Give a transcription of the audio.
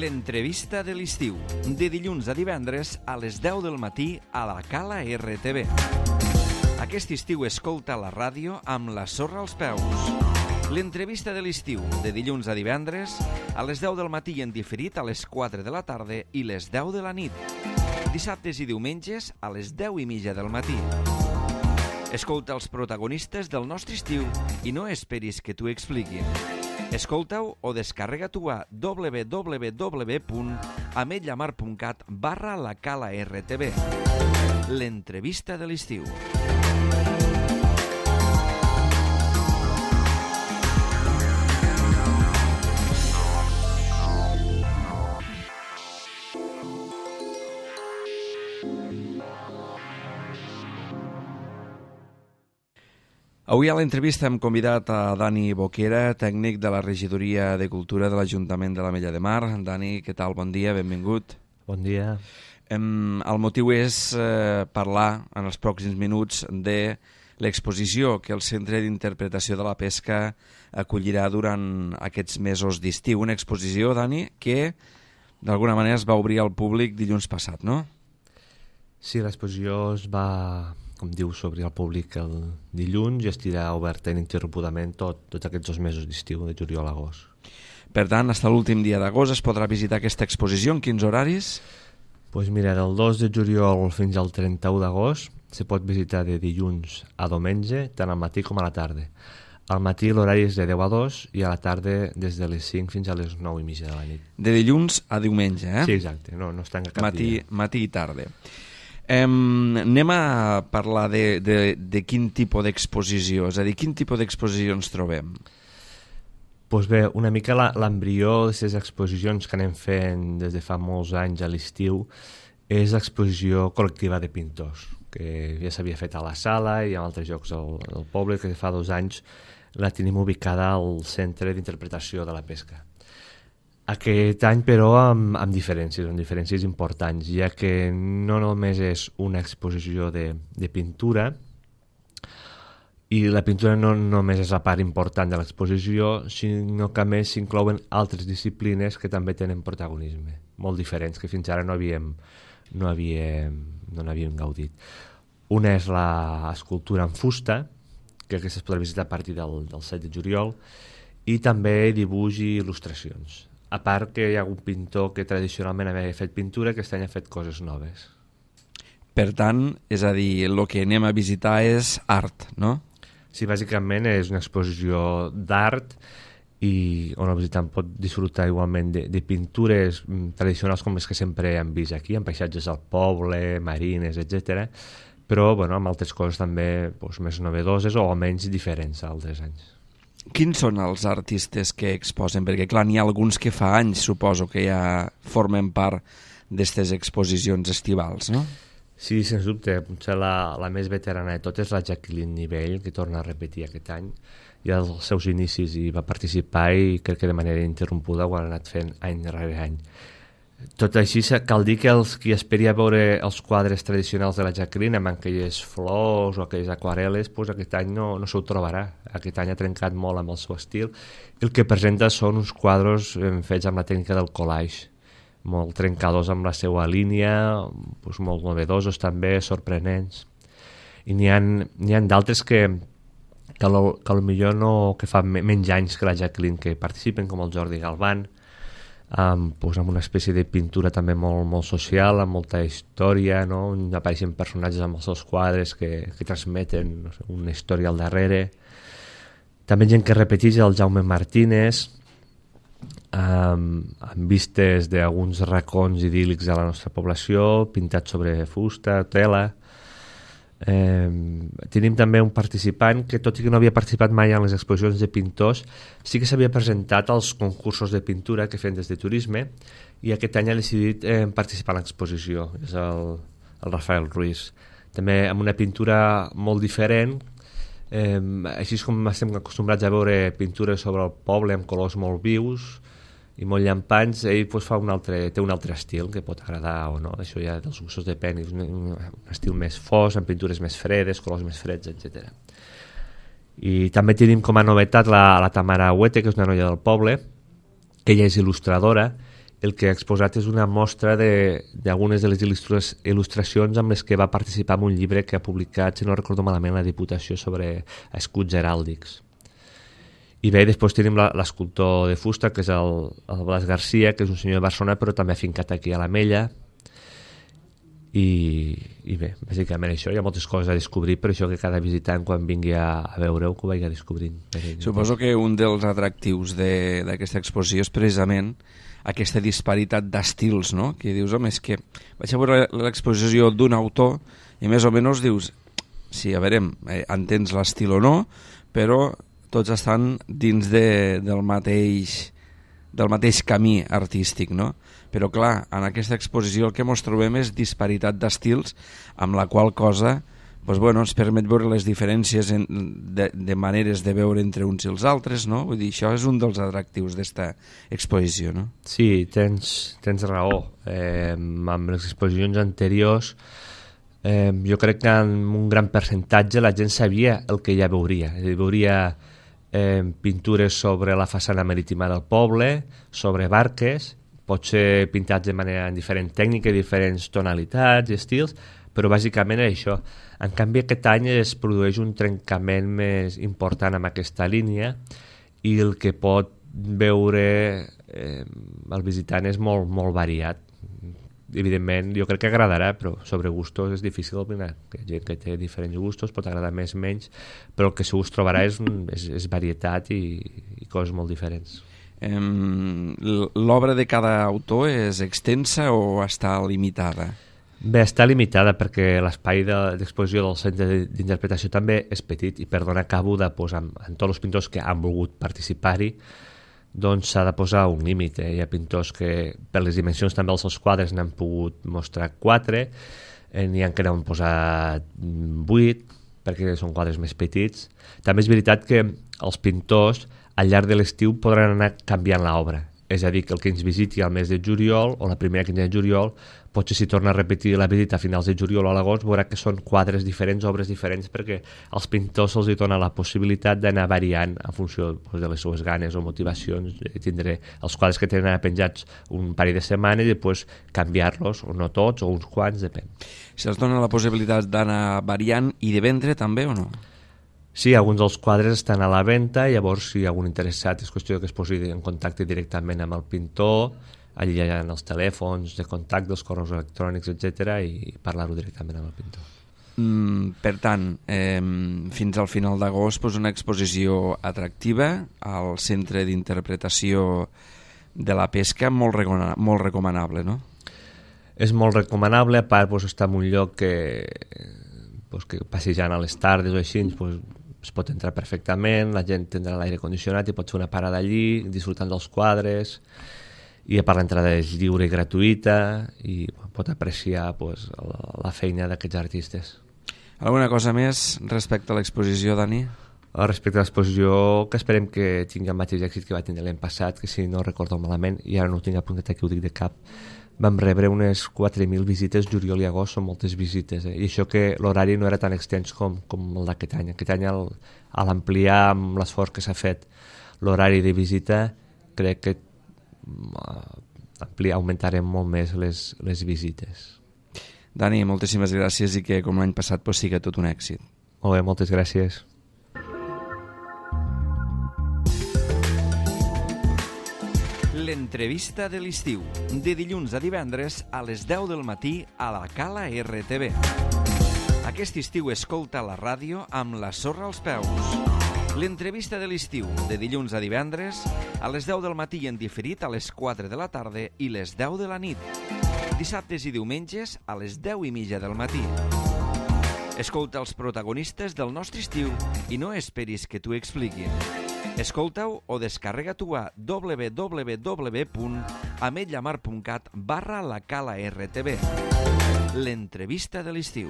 L'entrevista de l'estiu, de dilluns a divendres a les 10 del matí a la Cala RTV. Aquest estiu escolta la ràdio amb la sorra als peus. L'entrevista de l'estiu, de dilluns a divendres a les 10 del matí i en diferit a les 4 de la tarda i les 10 de la nit. Dissabtes i diumenges a les 10:30 del matí. Escolta els protagonistes del nostre estiu i no esperis que t'ho expliquin. Escolta-ho o descarrega-t'ho a www.ametlllamar.cat/la Cala RTV. L'entrevista de l'estiu. Avui a l'entrevista hem convidat a Dani Boquera, tècnic de la Regidoria de Cultura de l'Ajuntament de l'Ametlla de Mar. Dani, què tal? Bon dia, benvingut. Bon dia. El motiu és parlar en els pròxims minuts de l'exposició que el Centre d'Interpretació de la Pesca acollirà durant aquests mesos d'estiu. Una exposició, Dani, que d'alguna manera es va obrir al públic dilluns passat, no? Sí, l'exposició es va, com dius, obrir al públic el dilluns i estirà oberta ininterrompudament tots aquests 2 mesos d'estiu, de juliol a agost. Per tant, fins a l'últim dia d'agost es podrà visitar aquesta exposició. En quins horaris? Doncs mira, del 2 de juliol fins al 31 d'agost se pot visitar de dilluns a diumenge, tant al matí com a la tarda. Al matí l'horari és de 10 a 2 i a la tarda des de les 5 fins a les 9:30 de la nit. De dilluns a diumenge, eh? Sí, exacte, no es tanca cap dia. Matí i tarda. Anem a parlar de quin tipus d'exposició, és a dir, quin tipus d'exposició ens trobem? Doncs bé, una mica l'embrió d'aquestes exposicions que anem fent des de fa molts anys a l'estiu és l'exposició col·lectiva de pintors, que ja s'havia fet a la Sala i en altres llocs del poble, que fa 2 anys la tenim ubicada al Centre d'Interpretació de la Pesca. Aquest any, però, amb diferències importants, ja que no només és una exposició de pintura, i la pintura no només és la part important de l'exposició, sinó que a més s'inclouen altres disciplines que també tenen protagonisme, molt diferents, que fins ara no n'havíem gaudit. Una és l'escultura en fusta, que aquesta es podrà visitar a partir del 7 de juliol, i també dibuix i il·lustracions. A part que hi ha un pintor que tradicionalment havia fet pintura, que aquest any ha fet coses noves. Per tant, és a dir, el que anem a visitar és art, no? Sí, bàsicament és una exposició d'art i on el visitant pot disfrutar igualment de pintures tradicionals com les que sempre hem vist aquí, en paisatges al poble, marines, etc. Però amb altres coses també més novedoses o almenys diferents a altres anys. Quins són els artistes que exposen? Perquè, clar, n'hi ha alguns que fa anys, suposo, que ja formen part d'aquestes exposicions estivals, no? Sí, sens dubte. Potser la més veterana de totes és la Jacqueline Nivell, que torna a repetir aquest any. Ja als seus inicis hi va participar i crec que de manera ininterrompuda ho han anat fent any rere any. Tot així, cal dir que els qui esperia veure els quadres tradicionals de la Jacqueline amb aquelles flors o aquelles aquarel·les, aquest any no s'ho trobarà. Aquest any ha trencat molt amb el seu estil. El que presenta són uns quadres fets amb la tècnica del collage, molt trencadors amb la seva línia, molt novedosos també, sorprenents. I n'hi ha d'altres que potser no, que fa menys anys que la Jacqueline que participen, com el Jordi Galván, amb una espècie de pintura també molt social, amb molta història, no? On apareixen personatges amb els seus quadres que transmeten una història al darrere. També gent que repeteix, el Jaume Martínez, amb vistes d'alguns racons idíl·lics de la nostra població, pintats sobre fusta, tela. Tenim també un participant que, tot i que no havia participat mai en les exposicions de pintors, sí que s'havia presentat als concursos de pintura que feien des de turisme i aquest any ha decidit participar en l'exposició. És el Rafael Ruiz, també amb una pintura molt diferent, així com estem acostumbrats a veure pintures sobre el poble amb colors molt vius i molt llampants. Ell té un altre estil que pot agradar o no, això ja dels gustos depèn, un estil més fos, amb pintures més fredes, colors més freds, etc. I també tenim com a novetat la Tamara Huete, que és una noia del poble, que ella és il·lustradora el que ha exposat és una mostra d'algunes de les il·lustracions amb les que va participar en un llibre que ha publicat, si no recordo malament, la Diputació sobre escuts heràldics. I bé, després tenim l'escultor de fusta, que és el Blas Garcia, que és un senyor de Barcelona, però també afincat aquí a l'Ametlla. I bé, bàsicament això, hi ha moltes coses a descobrir, per això que cada visitant quan vingui a veure-ho que ho vagi descobrint. Suposo que un dels atractius d'aquesta exposició és precisament aquesta disparitat d'estils, no? Que dius, home, és que vaig a veure l'exposició d'un autor i més o menys dius, sí, a veure, entens l'estil o no, però tots estan dins del mateix camí artístic, no? Però clar, en aquesta exposició el que ens trobem és disparitat d'estils, amb la qual cosa ens permet veure les diferències de maneres de veure entre uns i els altres, no? Vull dir, això és un dels atractius d'esta exposició, no? Sí, tens raó. Amb les exposicions anteriors jo crec que en un gran percentatge la gent sabia el que ja veuria. Veuria pintures sobre la façana marítima del poble, sobre barques, potser pintats de manera diferent tècnica, diferents tonalitats i estils, però bàsicament és això. En canvi, aquest any es produeix un trencament més important amb aquesta línia i el que pot veure el visitant és molt, molt variat. Evidentment, jo crec que agradarà, però sobre gustos és difícil opinar. Hi ha gent que té diferents gustos, pot agradar més, menys, però el que segur es trobarà és varietat i coses molt diferents. L'obra de cada autor és extensa o està limitada? Bé, està limitada perquè l'espai d'exposició del centre d'interpretació també és petit i per donar cabuda en tots els pintors que han volgut participar-hi, doncs s'ha de posar un límit. Hi ha pintors que per les dimensions també dels seus quadres n'han pogut mostrar 4, n'hi ha que n'han posat 8 perquè són quadres més petits. També és veritat que els pintors al llarg de l'estiu podran anar canviant l'obra, és a dir, que el que ens visiti al mes de juliol o la primera quinzena de juliol, potser si torna a repetir la visita a finals de juliol o a l'agost veurà que són quadres diferents, obres diferents, perquè als pintors se'ls dona la possibilitat d'anar variant en funció de les seues ganes o motivacions. Tindré els quadres que tenen penjats un parell de setmanes i després canviar-los, o no tots, o uns quants, depèn. Se'ls dona la possibilitat d'anar variant i de vendre també o no? Sí, alguns dels quadres estan a la venda, llavors si hi ha algun interessat és qüestió que es posi en contacte directament amb el pintor, allà hi ha els telèfons de contacte, els correus electrònics, etc., i parlar-ho directament amb el pintor. Per tant, fins al final d'agost una exposició atractiva al Centre d'Interpretació de la Pesca, molt recomanable, no? És molt recomanable, a part està en un lloc que passejant a les tardes o així es pot entrar perfectament, la gent tindrà l'aire condicionat i pot fer una parada allí disfrutant dels quadres, i a part l'entrada és lliure i gratuïta i pot apreciar la feina d'aquests artistes. Alguna cosa més respecte a l'exposició, Dani? Respecte a l'exposició, que esperem que tingui el mateix èxit que va tindre l'any passat, que si no recordo malament, i ara no ho tinc apuntat aquí, ho dic de cap, vam rebre unes 4.000 visites, juliol i agost són moltes visites, i això que l'horari no era tan extens com el d'aquest any. Aquest any, a l'ampliar amb l'esforç que s'ha fet l'horari de visita, crec que augmentarem molt més les visites. Dani, moltíssimes gràcies i que com l'any passat sigui tot un èxit. Molt bé, moltes gràcies. L'entrevista de l'estiu, de dilluns a divendres a les 10 del matí a la Cala RTV. Aquest estiu escolta la ràdio amb la sorra als peus. L'entrevista de l'estiu, de dilluns a divendres a les 10 del matí en diferit a les 4 de la tarda i les 10 de la nit. Dissabtes i diumenges a les 10:30 del matí. Escolta els protagonistes del nostre estiu i no esperis que t'ho expliquin. Escolta-ho o descarrega-t'ho a www.ametlamar.cat/la Cala RTV. L'entrevista de l'estiu.